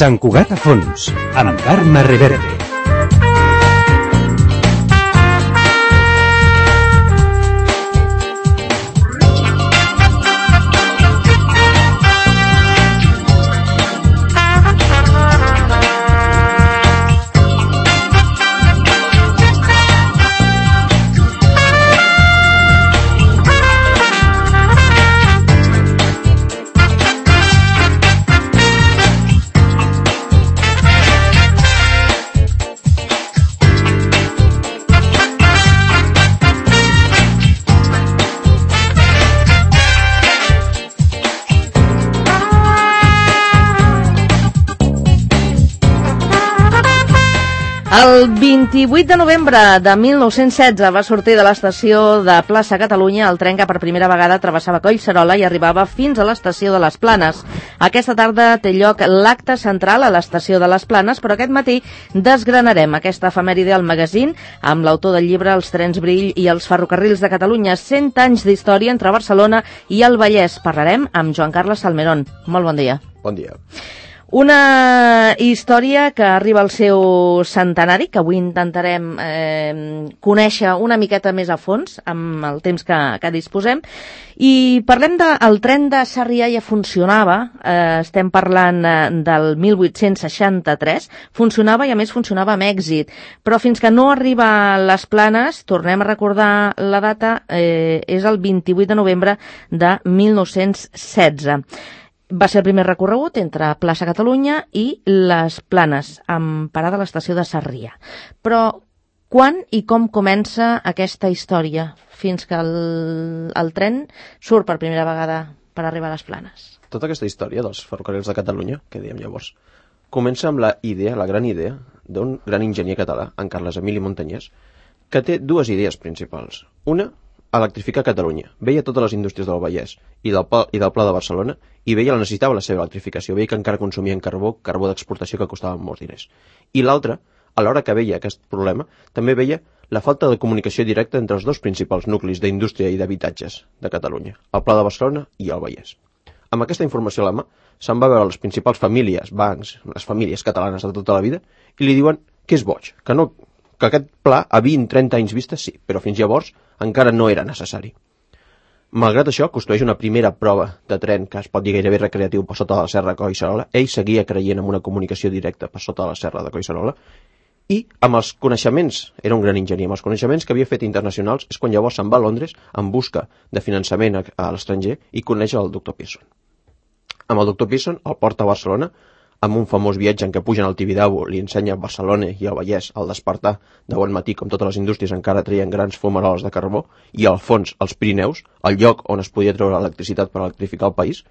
Sant Cugat a fons, amb Carme Reverte. El 28 de novembre de 1916 va sortir de l'estació de Plaça Catalunya el tren que per primera vegada travessava Collserola i arribava fins a l'estació de les Planes. Aquesta tarda té lloc l'acte central a l'estació de les Planes, però aquest matí desgranarem aquesta efemèride al magazín amb l'autor del llibre Els trens Brill i els ferrocarrils de Catalunya, 100 anys d'història entre Barcelona i el Vallès. Parlarem amb Joan Carles Salmerón. Molt bon dia. Bon dia. Una història que arriba al seu centenari, que avui intentarem conèixer una miqueta més a fons amb el temps que disposem. I parlem del tren de Sarrià. Ja funcionava, estem parlant del 1863, funcionava i a més funcionava amb èxit, però fins que no arriba a les Planes, tornem a recordar la data, és el 28 de novembre de 1916. Va ser el primer recorregut entre Plaça Catalunya i les Planes, amb parada a l'estació de Sarrià. Però quan i com comença aquesta història fins que el tren surt per primera vegada per arribar a les Planes? Tota aquesta història dels ferrocarrils de Catalunya, que dèiem llavors, comença amb la gran idea d'un gran enginyer català, en Carles Emili Montañés, que té dues idees principals. Una, electrificar Catalunya. Veia totes les indústries del Vallès i del Pla de Barcelona i veia la necessitat de la seva electrificació. Veia que encara consumien carbó d'exportació que costava molts diners. I l'altra, a l'hora que veia aquest problema, també veia la falta de comunicació directa entre els dos principals nuclis d'indústria i d'habitatges de Catalunya, el Pla de Barcelona i el Vallès. Amb aquesta informació a la mà, se'n va veure les principals famílies, bancs, les famílies catalanes de tota la vida, i li diuen que és boig, que aquest pla a 20-30 anys vista sí, però fins llavors encara no era necessari. Malgrat això, construeix una primera prova de tren que es pot dir gairebé recreatiu per sota de la serra de Collserola. Ell seguia creient en una comunicació directa per sota de la serra de Collserola i amb els coneixements, era un gran enginyer, amb els coneixements que havia fet internacionals és quan llavors se'n va a Londres en busca de finançament a l'estranger i coneix el doctor Pearson. Amb el doctor Pearson el porta a Barcelona amb un famós viatge en què pugen al Tibidabo, li ensenya Barcelona i el Vallès al despertar de bon matí, com totes les indústries encara treien grans fumaroles de carbó, i al fons els Pirineus, el lloc on es podia treure electricitat per electrificar el país,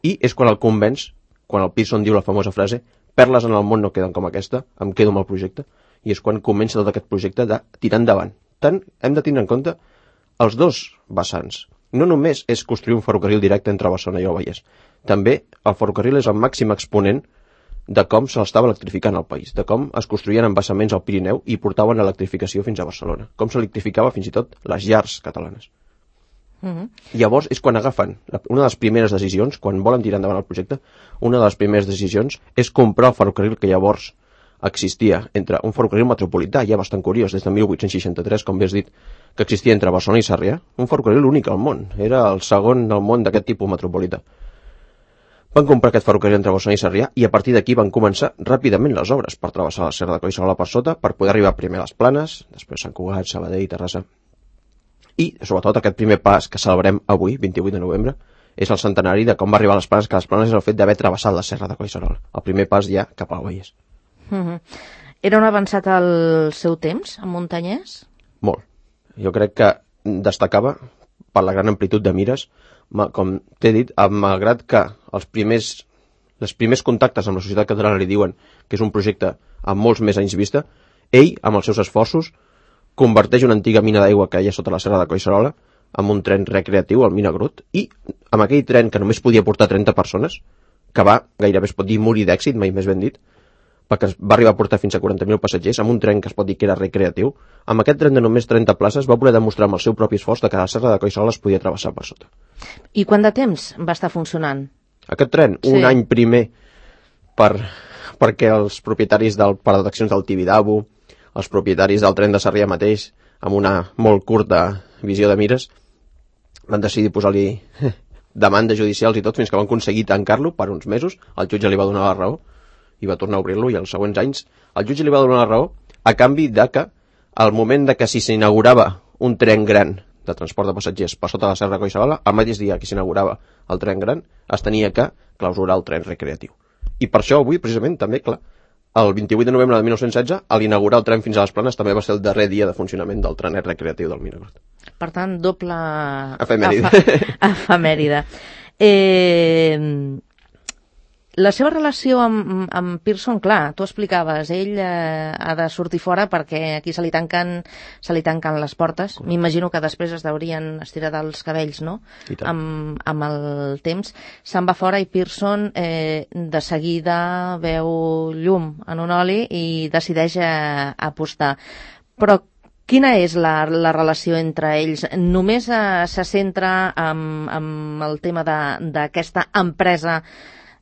i és quan el convenç, quan el Pearson diu la famosa frase «Perles en el món no queden com aquesta, em quedo amb el projecte», i és quan comença tot aquest projecte de tirar endavant. Tant hem de tenir en compte els dos vessants. No només és construir un ferrocarril directe entre Barcelona i el Vallès, també el ferrocarril és el màxim exponent de com se l'estava electrificant al país, de com es construïen embassaments al Pirineu i portaven l'electrificació fins a Barcelona, com s'electrificava fins i tot les llars catalanes. Llavors és quan agafen una de les primeres decisions, quan volen tirar endavant el projecte, una de les primeres decisions és comprar el ferrocarril que llavors existia, entre un ferrocarril metropolità, ja bastant curiós, des de 1863, com bé has dit, que existia entre Barcelona i Sarrià, un ferrocarril únic al món, era el segon del món d'aquest tipus metropolità. Van comprar aquest ferrocarril entre Barcelona i Sarrià i a partir d'aquí van començar ràpidament les obres per travessar la serra de Collserola per sota per poder arribar primer a les Planes, després Sant Cugat, Sabadell, Terrassa. I, sobretot, aquest primer pas que celebrem avui, 28 de novembre, és el centenari de com va arribar a les Planes, que les Planes és el fet d'haver travessat la serra de Collserola. El primer pas ja cap al Vallès. Era un avançat al seu temps, en Montañés? Molt. Jo crec que destacava per la gran amplitud de mires, com t'he dit, malgrat que els primers contactes amb la societat catalana li diuen que és un projecte amb molts més anys vista, ell, amb els seus esforços, converteix una antiga mina d'aigua que hi ha sota la serra de Collserola en un tren recreatiu, el Minagrut, i amb aquell tren que només podia portar 30 persones, que va, gairebé es pot dir, morir d'èxit, mai més ben dit, perquè va arribar a portar fins a 40.000 passatgers, amb un tren que es pot dir que era recreatiu. Amb aquest tren de només 30 places va poder demostrar amb el seu propi esforç que la serra de Collserola es podia travessar per sota. I quant de temps va estar funcionant? Aquest tren, un any primer per perquè els propietaris del parc d'atraccions del Tibidabo, els propietaris del tren de Sarrià mateix, amb una molt curta visió de mires, van decidir posar-li demandes judicials i tot, fins que van aconseguir tancar-lo per uns mesos. El jutge li va donar la raó i va tornar a obrir-lo, i els següents anys el jutge li va donar la raó a canvi de que al moment de que si s'inaugurava un tren gran de transport de passatgers per sota la Serra de Collserola, el mateix dia que s'inaugurava el tren gran es tenia que clausurar el tren recreatiu. I per això avui, precisament, també, clar, el 28 de novembre de 1916, a l'inaugurar el tren fins a les Planes, també va ser el darrer dia de funcionament del trenet recreatiu del Miragot. Per tant, doble... Efemèride. Efemèride. La seva relació amb Pearson, clar, tu explicaves, ell ha de sortir fora perquè aquí se li tanquen les portes. M'imagino que després es deurien estirar dels cabells, no? Amb el temps. Se'n va fora i Pearson de seguida veu llum en un oli i decideix apostar. Però quina és la relació entre ells? Només se centra en el tema d'aquesta empresa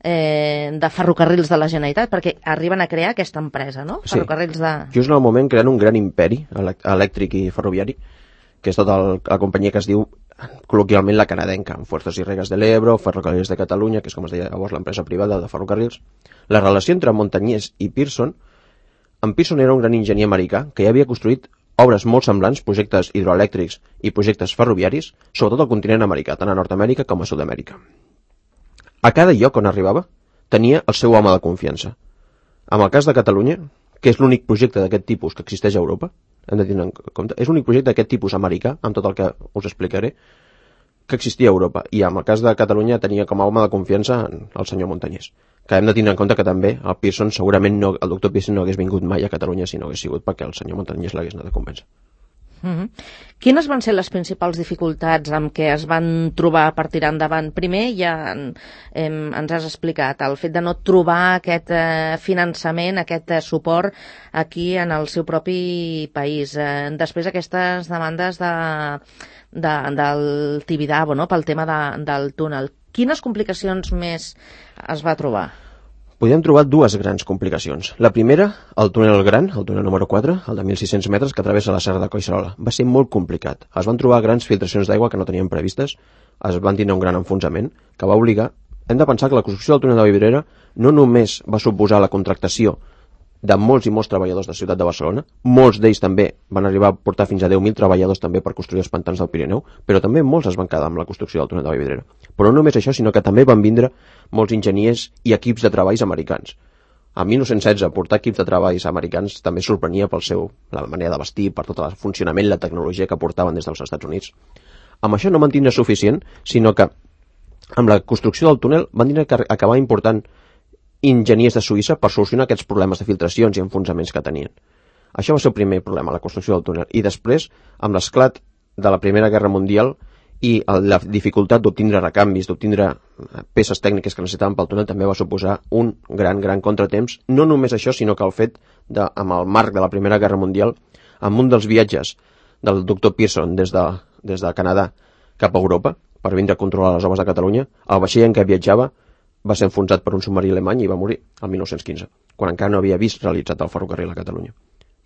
de ferrocarrils de la Generalitat, perquè arriben a crear aquesta empresa, no? Sí. Ferrocarrils de... Just en el moment creen un gran imperi elèctric i ferroviari, que és tota la companyia que es diu col·loquialment la canadenca, amb Fuerzas y Regas de l'Ebro, Ferrocarrils de Catalunya, que és com es deia llavors l'empresa privada de ferrocarrils. La relació entre Montañés i Pearson, en Pearson era un gran enginyer americà que ja havia construït obres molt semblants, projectes hidroelèctrics i projectes ferroviaris, sobretot al continent americà, tant a Nord-Amèrica com a Sud-amèrica. A cada lloc on arribava tenia el seu home de confiança. En el cas de Catalunya, que és l'únic projecte d'aquest tipus que existeix a Europa, hem de tenir en compte, és l'únic projecte d'aquest tipus americà, amb tot el que us explicaré, que existia a Europa. I en el cas de Catalunya tenia com a home de confiança el senyor Montañés, que hem de tenir en compte que també el Pearson, segurament el doctor Pearson no hagués vingut mai a Catalunya si no hagués sigut perquè el senyor Montañés l'hagués anat a convèncer. Quines van ser les principals dificultats amb què es van trobar per tirar endavant? Primer, ja ens has explicat, el fet de no trobar aquest finançament, aquest suport aquí en el seu propi país. Després, aquestes demandes del Tibidabo, no?, pel tema del túnel. Quines complicacions més es va trobar? Podíem trobar dues grans complicacions. La primera, el túnel gran, el túnel número 4, el de 1.600 metres, que travessa la Serra de Collserola. Va ser molt complicat. Es van trobar grans filtracions d'aigua que no tenien previstes, es van tindre un gran enfonsament, que va obligar... Hem de pensar que la construcció del túnel de Vallvidrera no només va suposar la contractació de molts i molts treballadors de la ciutat de Barcelona, molts d'ells també van arribar a portar fins a 10.000 treballadors també per construir els pantans del Pirineu, però també molts es van quedar amb la construcció del túnel de Vallvidrera. Però no només això, sinó que també van vindre molts enginyers i equips de treballs americans. En 1916 portar equips de treballs americans també sorprenia la manera de vestir, per tot el funcionament, la tecnologia que portaven des dels Estats Units. Amb això no van tindre suficient, sinó que amb la construcció del túnel van tindre que acabar important enginyers de Suïssa per solucionar aquests problemes de filtracions i enfonsaments que tenien. Això va ser el primer problema, la construcció del túnel. I després, amb l'esclat de la Primera Guerra Mundial i la dificultat d'obtindre recanvis, d'obtindre peces tècniques que necessitaven pel túnel, també va suposar un gran contratemps. No només això, sinó que el fet amb el marc de la Primera Guerra Mundial, amb un dels viatges del doctor Pearson des de Canadà cap a Europa, per vindre a controlar les obres de Catalunya, el vaixell en què viatjava va ser enfonsat per un submarí alemany i va morir el 1915, quan encara no havia vist realitzat el ferrocarril a Catalunya,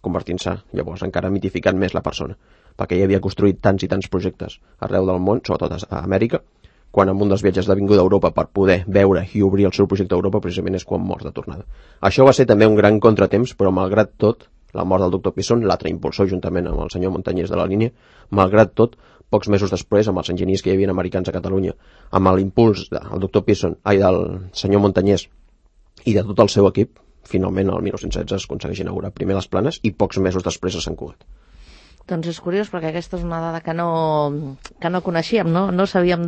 convertint-se llavors encara mitificant més la persona, perquè ja havia construït tants i tants projectes arreu del món, sobretot a Amèrica, quan en un dels viatges de vinguda a Europa per poder veure i obrir el seu projecte a Europa precisament és quan mor de tornada. Això va ser també un gran contratemps, però malgrat tot, la mort del doctor Pearson, l'altre impulsor juntament amb el senyor Montañés de la línia, malgrat tot, pocs mesos després, amb els enginyers que hi havia americans a Catalunya, amb l'impuls del doctor Pearson, del senyor Montañés i de tot el seu equip, finalment el 1916 es aconsegueix inaugurar primer les Planes i pocs mesos després a Sant Cugat. Doncs és curiós, perquè aquesta és una dada que no coneixíem, no sabíem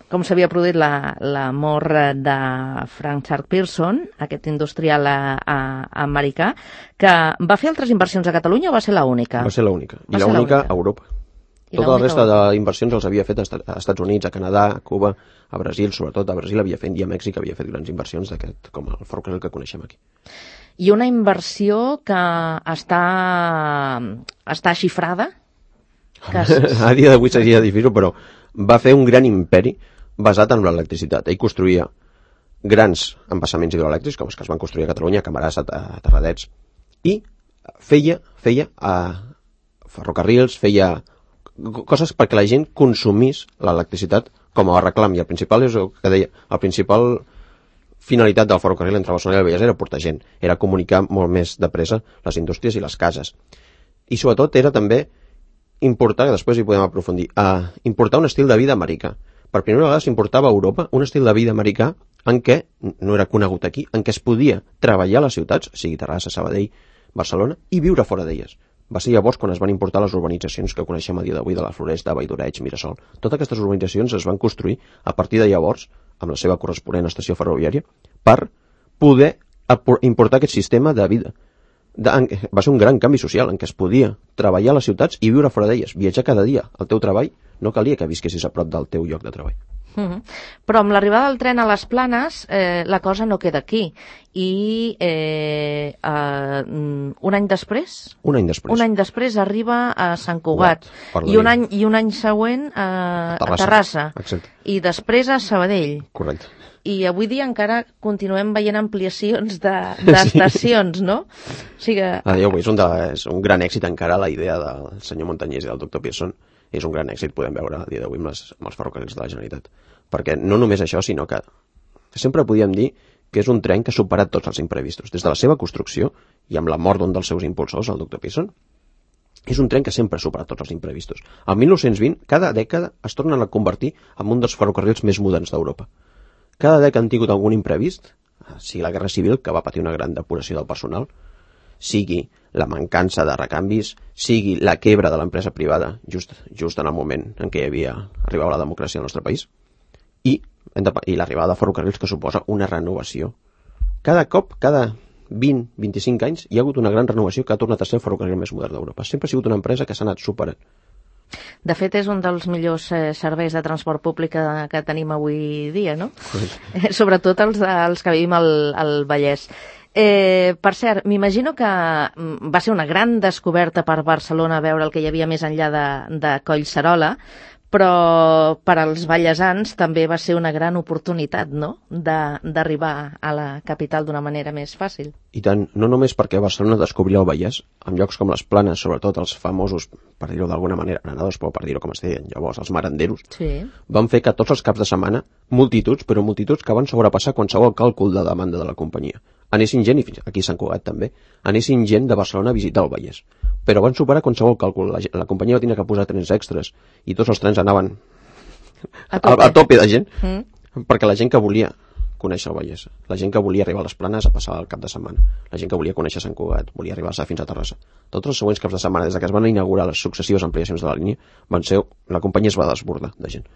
com s'havia produït la mort de Frank Charles Pearson, aquest industrial americà, que va fer altres inversions a Catalunya o va ser l'única? Va ser l'única, i l'única a Europa. Tota la resta d'inversions els havia fet a Estats Units, a Canadà, a Cuba, a Brasil, sobretot a Brasil havia fet, i a Mèxic havia fet grans inversions d'aquest, com el ferrocarril que coneixem aquí. I una inversió que està xifrada? A dia d'avui seria difícil, però va fer un gran imperi basat en l'electricitat. Ell construïa grans embassaments hidroelèctrics, com els que es van construir a Catalunya, a Camarasa, a Terradets, i feia ferrocarrils, feia coses perquè la gent consumís l'electricitat com a reclam, i el principal és el que deia, el principal finalitat del ferrocarril entre Barcelona i el Vallès era portar gent, era comunicar molt més de pressa les indústries i les cases. I sobretot era també importar, que després hi podem aprofundir, importar un estil de vida americà. Per primera vegada s'importava a Europa un estil de vida americà en què, no era conegut aquí, en què es podia treballar a les ciutats, sigui Terrassa, Sabadell, Barcelona, i viure fora d'elles. Va ser llavors quan es van importar les urbanitzacions que coneixem a dia d'avui de la Floresta, Valldoreig, Mirasol. Totes aquestes urbanitzacions es van construir a partir de llavors, amb la seva corresponent estació ferroviària, per poder importar aquest sistema de vida. Va ser un gran canvi social en què es podia treballar a les ciutats i viure fora d'elles, viatjar cada dia. El teu treball no calia que visquessis a prop del teu lloc de treball. Però amb l'arribada del tren a les Planes la cosa no queda aquí i un any després arriba a Sant Cugat i un any següent a Terrassa. Exacte. I després a Sabadell. Correcte. I avui dia encara continuem veient ampliacions d'estacions, no? O sigui és un gran èxit encara la idea del senyor Montanyès i del doctor Pearson. És un gran èxit, podem veure a dia d'avui amb els ferrocarrils de la Generalitat. Perquè no només això, sinó que sempre podíem dir que és un tren que ha superat tots els imprevistos. Des de la seva construcció, i amb la mort d'un dels seus impulsors, el doctor Pearson, és un tren que sempre ha superat tots els imprevistos. Al 1920, cada dècada es tornen a convertir en un dels ferrocarrils més moderns d'Europa. Cada dècada han tingut algun imprevist, sigui la Guerra Civil, que va patir una gran depuració del personal, sigui la mancança de recanvis, sigui la quebra de l'empresa privada just en el moment en què arribava la democràcia al nostre país, i l'arribada de ferrocarrils, que suposa una renovació. Cada cop, cada 20-25 anys, hi ha hagut una gran renovació que ha tornat a ser el ferrocarril més modern d'Europa. Sempre ha sigut una empresa que s'ha anat superant. De fet, és un dels millors serveis de transport públic que tenim avui dia, no? Sobretot els que vivim al Vallès. Per cert, m'imagino que va ser una gran descoberta per Barcelona veure el que hi havia més enllà de Collserola, però per als vallesans també va ser una gran oportunitat, no?, d'arribar a la capital d'una manera més fàcil. I tant, no només perquè Barcelona descobria el Vallès, en llocs com les Planes, sobretot els famosos, per dir-ho d'alguna manera, granadors, però per dir-ho com es deien llavors, els maranderos, van fer que tots els caps de setmana, multituds, però multituds que van sobrepassar qualsevol càlcul de demanda de la companyia. Anessin gent, i aquí a Sant Cugat també, anessin gent de Barcelona a visitar el Vallès. Però van superar qualsevol càlcul. La companyia va tenir que posar trens extras i tots els trens anaven a tope de gent, perquè la gent que volia conèixer el Vallès, la gent que volia arribar a les Planes a passar el cap de setmana, la gent que volia conèixer Sant Cugat, volia arribar fins a Terrassa. Tots els següents caps de setmana, des que es van inaugurar les successives ampliacions de la línia, la companyia es va desbordar de gent.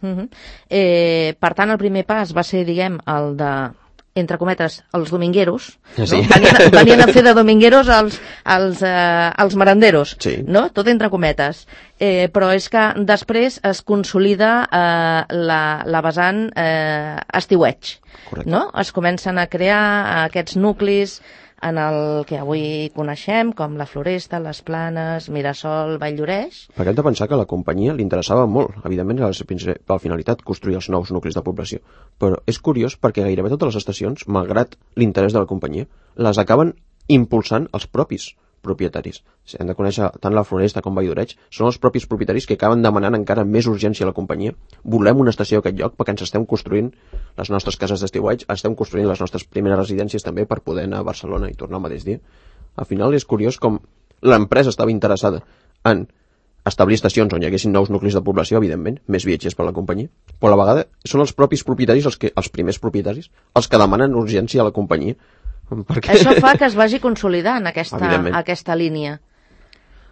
Per tant, el primer pas va ser, diguem, el de, entre cometes, els domingueros, sí. No? Venien a fer de domingueros els maranderos, sí. No? Tot entre cometes. Però és que després es consolida la vessant estiueig. Correcte. No? Es comencen a crear aquests nuclis en el que avui coneixem, com la Floresta, les Planes, Mirasol, Valldoreix. Perquè hem de pensar que a la companyia li interessava molt, evidentment, era la principal finalitat, construir els nous nuclis de població. Però és curiós perquè gairebé totes les estacions, malgrat l'interès de la companyia, les acaben impulsant els propis propietaris. Hem de conèixer tant la Floresta com Valldoreix, són els propis propietaris que acaben demanant encara més urgència a la companyia. Volem una estació a aquest lloc perquè ens estem construint les nostres cases d'estiueig, estem construint les nostres primeres residències també per poder anar a Barcelona i tornar el mateix dia. Al final és curiós com l'empresa estava interessada en establir estacions on hi haguessin nous nuclis de població, evidentment, més viatgers per a la companyia, però a la vegada són els propis propietaris, els primers propietaris, els que demanen urgència a la companyia. Perquè... Això fa que es vagi consolidant aquesta línia.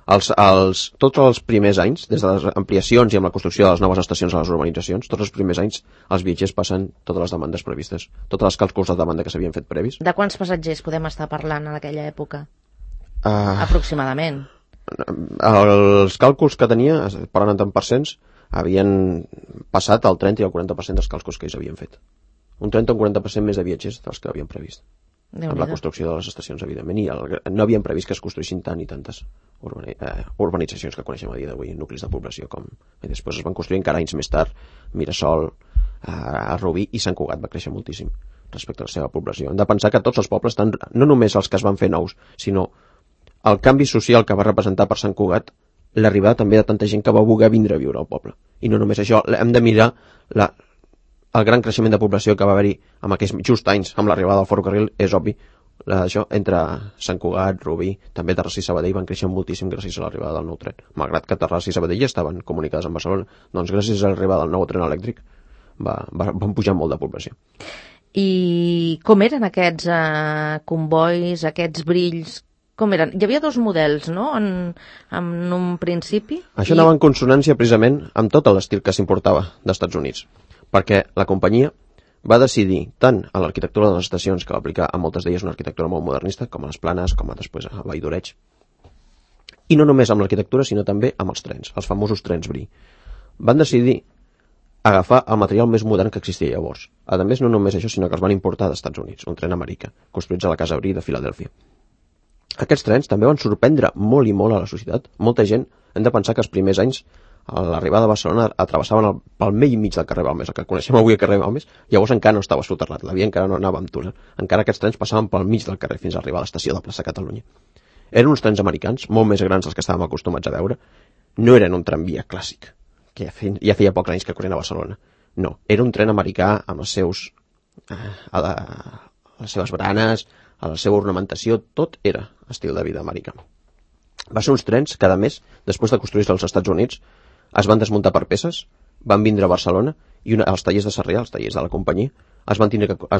Tots els primers anys, des de les ampliacions i amb la construcció de les noves estacions a les urbanitzacions, tots els primers anys els viatgers passen totes les demandes previstes, totes les càlculs de demanda que s'havien fet previs. De quants passatgers podem estar parlant en aquella època? Aproximadament. Els càlculs que tenia, parlant en tant percents, havien passat el 30 i el 40% dels càlculs que ells havien fet. Un 30 o un 40% més de viatgers dels que havien previst. Amb la construcció de les estacions, evidentment, i no havien previst que es construïssin tant i tantes urbanitzacions que coneixem a dia d'avui, nuclis de població, com i després es van construir encara anys més tard, Mirasol, a Rubí, i Sant Cugat va créixer moltíssim respecte a la seva població. Hem de pensar que tots els pobles, no només els que es van fer nous, sinó el canvi social que va representar per Sant Cugat, l'arribada també de tanta gent que va voler vindre a viure al poble. I no només això, hem de mirar el gran creixement de població que va haver-hi en aquells just anys amb l'arribada del ferrocarril. És obvi, això entre Sant Cugat, Rubí, també Terrassa i Sabadell van créixer moltíssim gràcies a l'arribada del nou tren. Malgrat que Terrassa i Sabadell ja estaven comunicades amb Barcelona, doncs gràcies a l'arribada del nou tren elèctric van pujar molt de població. I com eren aquests convois, aquests brills? Com eren? Hi havia dos models, no?, en un principi. Això anava en consonància precisament amb tot l'estil que s'importava dels Estats Units, perquè la companyia va decidir, tant a l'arquitectura de les estacions, que va aplicar a moltes d'elles una arquitectura molt modernista, com a les Planes, com a després a Vall d'Oreig, i no només amb l'arquitectura, sinó també amb els trens, els famosos trens Brie. Van decidir agafar el material més modern que existia llavors. A més, no només això, sinó que els van importar dels Estats Units, un tren americà, construïts a la Casa Brie de Filadèlfia. Aquests trens també van sorprendre molt i molt a la societat. Molta gent, hem de pensar que els primers anys, a l'arribada a Barcelona, atravessaven pel mig del carrer Balmes, el que coneixem avui el carrer Balmes, llavors encara no estava soterrat, la via encara no anava amb túnel, encara aquests trens passaven pel mig del carrer fins a arribar a l'estació de Plaça Catalunya. Eren uns trens americans, molt més grans dels que estàvem acostumats a veure. No eren un tramvia clàssic, que ja feia pocs anys que corrien a Barcelona. No, era un tren americà amb les seves baranes, a la seva ornamentació, tot era estil de vida americà. Va ser uns trens que, a més, després de construir-se als Estats Units, es van desmuntar per peces, van vindre a Barcelona i els tallers de Sarrià, els tallers de la companyia, es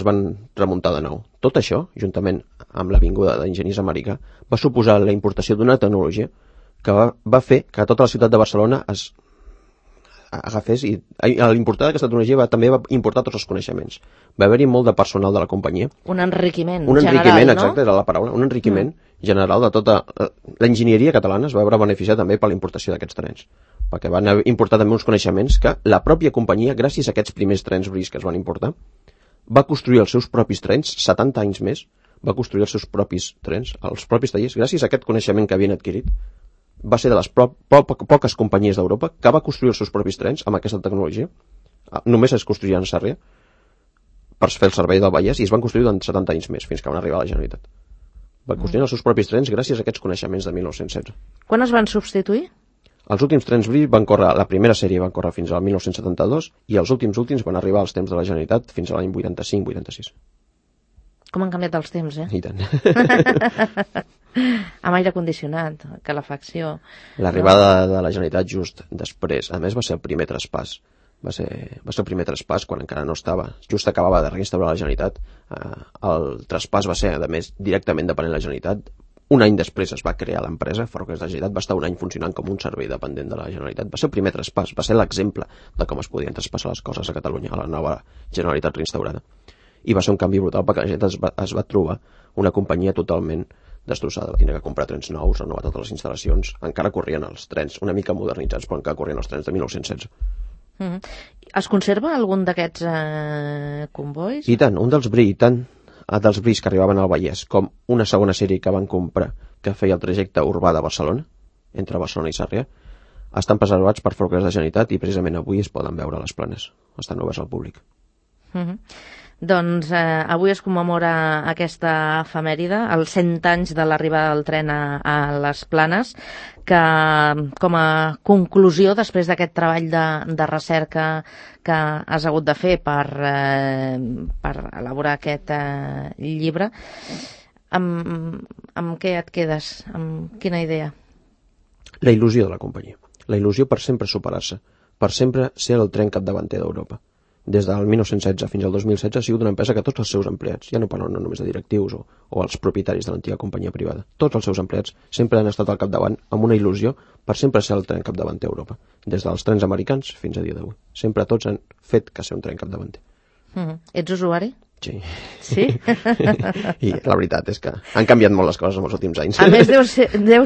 van remuntar de nou. Tot això, juntament amb l'avinguda d'enginyers americà, va suposar la importació d'una tecnologia que va fer que tota la ciutat de Barcelona es agafés, i l'importar d'aquesta tecnologia també va importar tots els coneixements. Va haver-hi molt de personal de la companyia. Un enriquiment general, no? Exacte, era la paraula. Un enriquiment general de tota l'enginyeria catalana. Es va veure beneficiar també per la importació d'aquests trens, perquè van importar també uns coneixements que la pròpia companyia, gràcies a aquests primers trens Brie que es van importar, va construir els seus propis trens, 70 anys més, va construir els seus propis trens, els propis tallers, gràcies a aquest coneixement que havien adquirit. Va ser de les poques companyies d'Europa que va construir els seus propis trens amb aquesta tecnologia. Només es construïen a Sarrià per fer el servei del Vallès, i es van construir durant 70 anys més, fins que van arribar a la Generalitat. Va construir els seus propis trens gràcies a aquests coneixements de 1916. Quan es van substituir? Els últims trens Brie van córrer, la primera sèrie van córrer fins al 1972, i els últims van arribar als temps de la Generalitat fins a l'any 85-86. Com han canviat els temps, I tant. Amb aire condicionat, calefacció. L'arribada de la Generalitat just després, a més va ser el primer traspàs. Va ser el primer traspàs quan encara no estava. Just acabava de reinstaurar la Generalitat. El traspàs va ser, a més, directament depenent de la Generalitat. Un any després es va crear l'empresa, Ferrocarrils de la Generalitat, va estar un any funcionant com un servei dependent de la Generalitat. Va ser el primer traspàs, va ser l'exemple de com es podien traspassar les coses a Catalunya, a la nova Generalitat reinstaurada. I va ser un canvi brutal perquè la gent es va trobar una companyia totalment destrossada. Va tenir que comprar trens nous, renovar totes les instal·lacions. Encara corrien els trens, una mica modernitzats, però encara corrien els trens de 1916. Es conserva algun d'aquests convois? I tant, un dels Brie, dels Bries que arribaven al Vallès, com una segona sèrie que van comprar que feia el trajecte urbà de Barcelona, entre Barcelona i Sarrià, estan preservats per Ferrocarrils de la Generalitat i precisament avui es poden veure a les Planes. Estan oberts al públic. Doncs avui es commemora aquesta efemèride, els 100 anys de l'arribada del tren a les Planes, que com a conclusió, després d'aquest treball de recerca que has hagut de fer per elaborar aquest llibre, amb què et quedes? Amb quina idea? La il·lusió de la companyia. La il·lusió per sempre superar-se, per sempre ser el tren capdavanter d'Europa. Des del 1916 fins al 2016 ha sigut una empresa que tots els seus empleats, ja no parlo només de directius o els propietaris de l'antiga companyia privada, tots els seus empleats sempre han estat al capdavant amb una il·lusió per sempre ser el tren capdavanter a Europa, des dels trens americans fins a dia d'avui. Sempre tots han fet que ser un tren capdavanter. Ets usuari? Sí. Sí? I la veritat és que han canviat molt les coses en els últims anys. A més, deu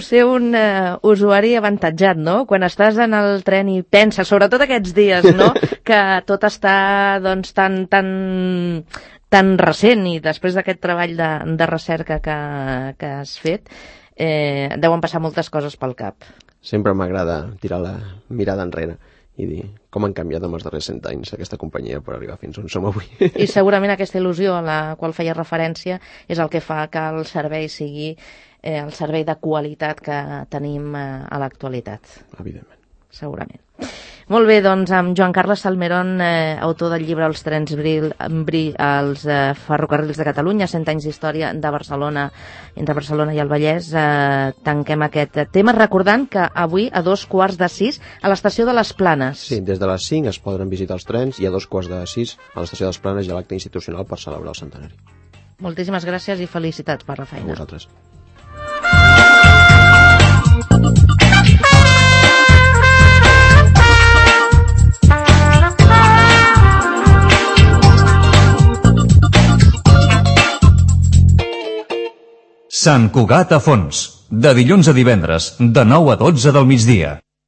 ser un usuari avantatjat, no? Quan estàs en el tren i penses, sobretot aquests dies, no? Que tot està, doncs, tan recent, i després d'aquest treball de recerca que has fet, deuen passar moltes coses pel cap. Sempre m'agrada tirar la mirada enrere i dir com han canviat en els darrers 100 anys aquesta companyia per arribar fins on som avui. I segurament aquesta il·lusió a la qual feia referència és el que fa que el servei sigui el servei de qualitat que tenim a l'actualitat. Evidentment. Segurament. Molt bé, doncs amb Joan Carles Salmerón, autor del llibre Els trens als ferrocarrils de Catalunya, 100 anys d'història de Barcelona, entre Barcelona i el Vallès, tanquem aquest tema recordant que avui a 5:15 a l'estació de les Planes. Sí, des de les 5 es poden visitar els trens i a 5:15 a l'estació de les Planes hi ha l'acte institucional per celebrar el centenari. Moltíssimes gràcies i felicitats per la feina. A vosaltres. Sant Cugat a fons, de dilluns a divendres, de 9 a 12 del migdia.